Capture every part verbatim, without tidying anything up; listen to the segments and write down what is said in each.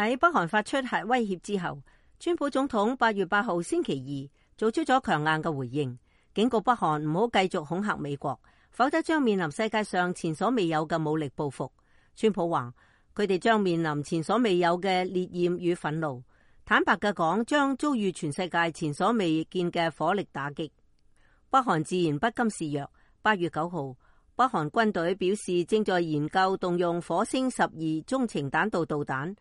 喺北韓發出核威脅之後，川普總統八月八號星期二做出咗強硬嘅回應，警告北韓唔好繼續恐嚇美國，否則將面臨世界上前所未有嘅武力報復。川普話佢哋將面臨前所未有嘅烈焰與憤怒，坦白嘅講，將遭遇全世界前所未見嘅火力打擊。北韓自然不甘示弱。八月九號，北韓軍隊表示正在研究動用火星十二中程彈道導彈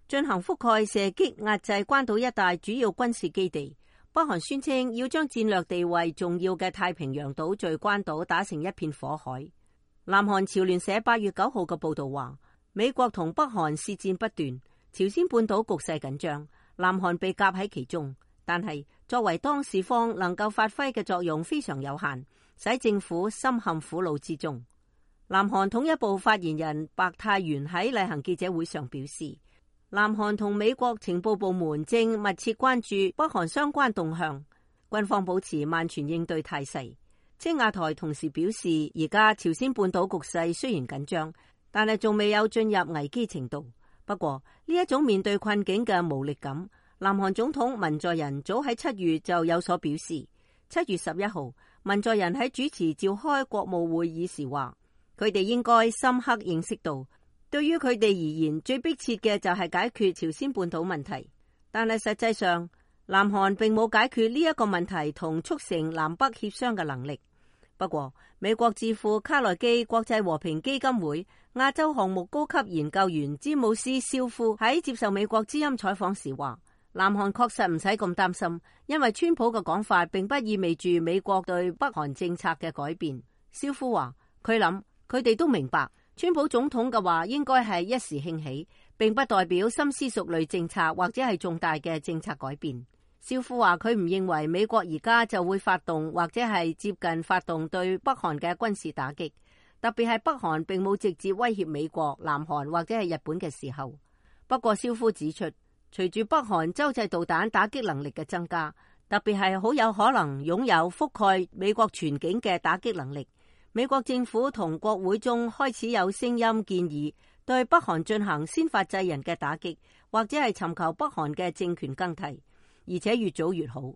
進行覆蓋射擊壓制關島一帶主要軍事基地。北韓宣稱要將戰略地位重要嘅太平洋島嶼關島打成一片火海。南韓朝聯社八月九號嘅報道話，美國同北韓舌戰不斷，朝鮮半島局勢緊張，南韓被夾喺其中，但係作為當事方能夠發揮嘅作用非常有限，使政府深陷苦惱之中。南韓統一部發言人白泰元喺例行記者會上表示，南韓同美國情報部門正密切關注北韓相關動向，軍方保持萬全應對態勢。青瓦台同時表示，而家朝鮮半島局勢雖然緊張，但係仲未有進入危機程度。不過呢一種面對困境嘅無力感，南韓總統文在寅早喺七月就有所表示。七月十一號，文在寅喺主持召開國務會議時話，佢哋應該深刻認識到，對於佢哋而言，最迫切嘅就係解決朝鮮半島問題。但係實際上，南韓並冇解決呢一個問題同促成南北協商嘅能力。不過，美國智庫卡內基國際和平基金會亞洲項目高級研究員詹姆斯肖夫喺接受美國之音採訪時話，南韓確實唔使咁擔心，因為川普嘅講法並不意味住美國對北韓政策嘅改變。肖夫話，佢諗佢哋都明白，川普總統嘅話應該係一時興起，並不代表深思熟慮政策或者係重大嘅政策改變。肖夫話佢唔認為美國而家就會發動或者係接近發動對北韓嘅軍事打擊，特別係北韓並冇直接威脅美國、南韓或者係日本嘅時候。不過肖夫指出，隨住北韓洲際導彈打擊能力嘅增加，特別係好有可能擁有覆蓋美國全境嘅打擊能力，美國政府同國會中開始有聲音建議對北韓進行先發制人嘅打擊，或者係尋求北韓嘅政權更替。而且越早越好。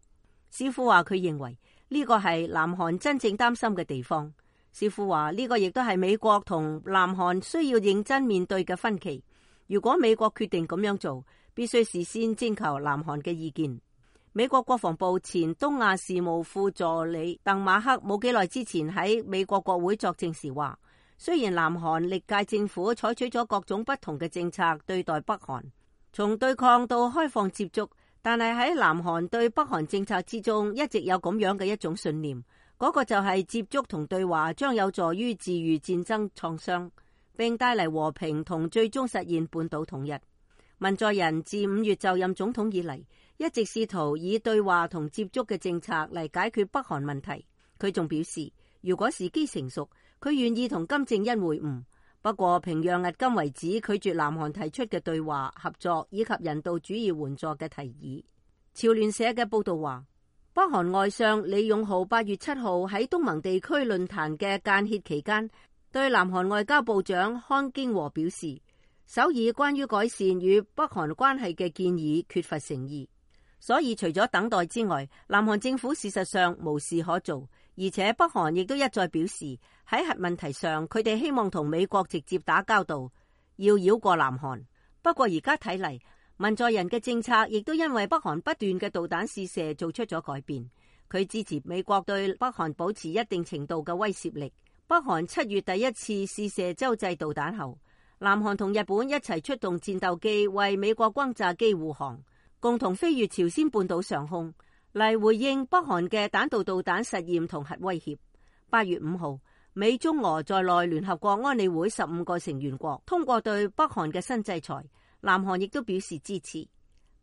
肖夫話佢認為呢個係南韓真正擔心嘅地方。肖夫話呢個亦都係美國同南韓需要認真面對嘅分歧。如果美國決定咁樣做，必須事先徵求南韓嘅意見。美國國防部前東亞事務副助理鄧馬克冇幾耐之前喺美國國會作證時話，雖然南韓歷屆政府採取咗各種不同嘅政策對待北韓，從對抗到開放接觸，但係喺南韓對北韓政策之中，一直有咁樣嘅一種信念，嗰個就係接觸同對話將有助於治癒戰爭創傷，並帶嚟和平同最終實現半島統一。文在寅自五月就任總統以嚟，一直試圖以對話同接觸嘅政策嚟解決北韓問題。佢仲表示，如果時機成熟，佢願意同金正恩會晤。不過平壤迄今為止拒絕南韓提出嘅對話、合作以及人道主義援助嘅提議。朝聯社嘅報道話，北韓外相李勇浩八月七號喺東盟地區論壇嘅間歇期間，對南韓外交部長康京和表示，首爾關於改善與北韓關係嘅建議缺乏誠意，所以除咗等待之外，南韓政府事實上無事可做。而且北韓亦都一再表示，喺核問題上，佢哋希望同美國直接打交道，要繞過南韓。不過而家睇嚟，文在寅嘅政策亦都因為北韓不斷嘅導彈試射做出咗改變。佢支持美國對北韓保持一定程度嘅威懾力。北韓七月第一次試射洲際導彈後，南韓同日本一齊出動戰鬥機為美國轟炸機護航，共同飛越朝鮮半島上空，嚟回應北韓嘅彈道導彈實驗同核威脅。八月五號，美中俄在內聯合國安理會十五個成員國通過對北韓嘅新制裁，南韓亦都表示支持。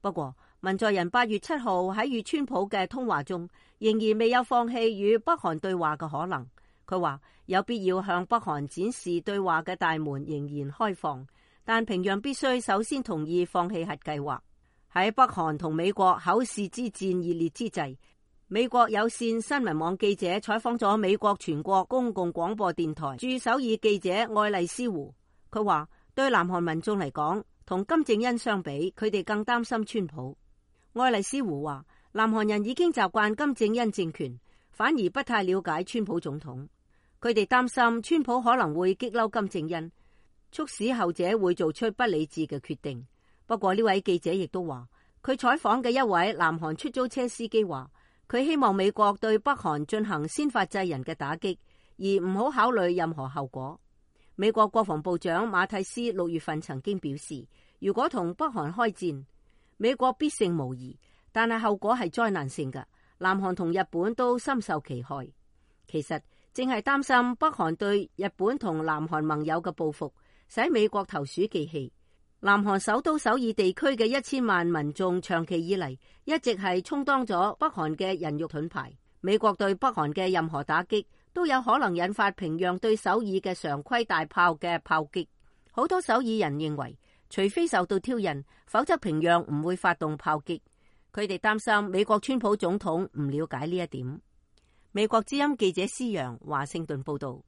不過，文在寅八月七號喺與川普嘅通話中，仍然未有放棄與北韓對話嘅可能。佢話有必要向北韓展示對話嘅大門仍然開放，但平壤必須首先同意放棄核計劃。喺北韓同美國口舌之戰熱烈之際，美國有線新聞網記者採訪咗美國全國公共廣播電台駐首爾記者愛麗絲胡。佢話對南韓民眾嚟講，同金正恩相比，佢哋更擔心川普。愛麗絲胡話，南韓人已經習慣金正恩政權，反而不太了解川普總統。佢哋擔心川普可能會激嬲金正恩，促使後者會做出不理智嘅決定。不過呢位記者亦都話，佢採訪嘅一位南韓出租車司機話，佢希望美國對北韓進行先發制人嘅打擊，而唔好考慮任何後果。美國國防部長馬蒂斯六月份曾經表示，如果同北韓開戰，美國必勝無疑，但係後果係災難性嘅。南韓同日本都深受其害。其實正係擔心北韓對日本同南韓盟友嘅報復，使美國投鼠忌器。南韓首都首爾地區嘅一千萬民眾長期以嚟一直係充當咗北韓嘅人肉盾牌。美國對北韓嘅任何打擊都有可能引發平壤對首爾嘅常規大炮嘅炮擊。好多首爾人認為，除非受到挑釁，否則平壤唔會發動炮擊。佢哋擔心美國川普總統唔了解呢一點。美國之音記者施洋華盛頓報道。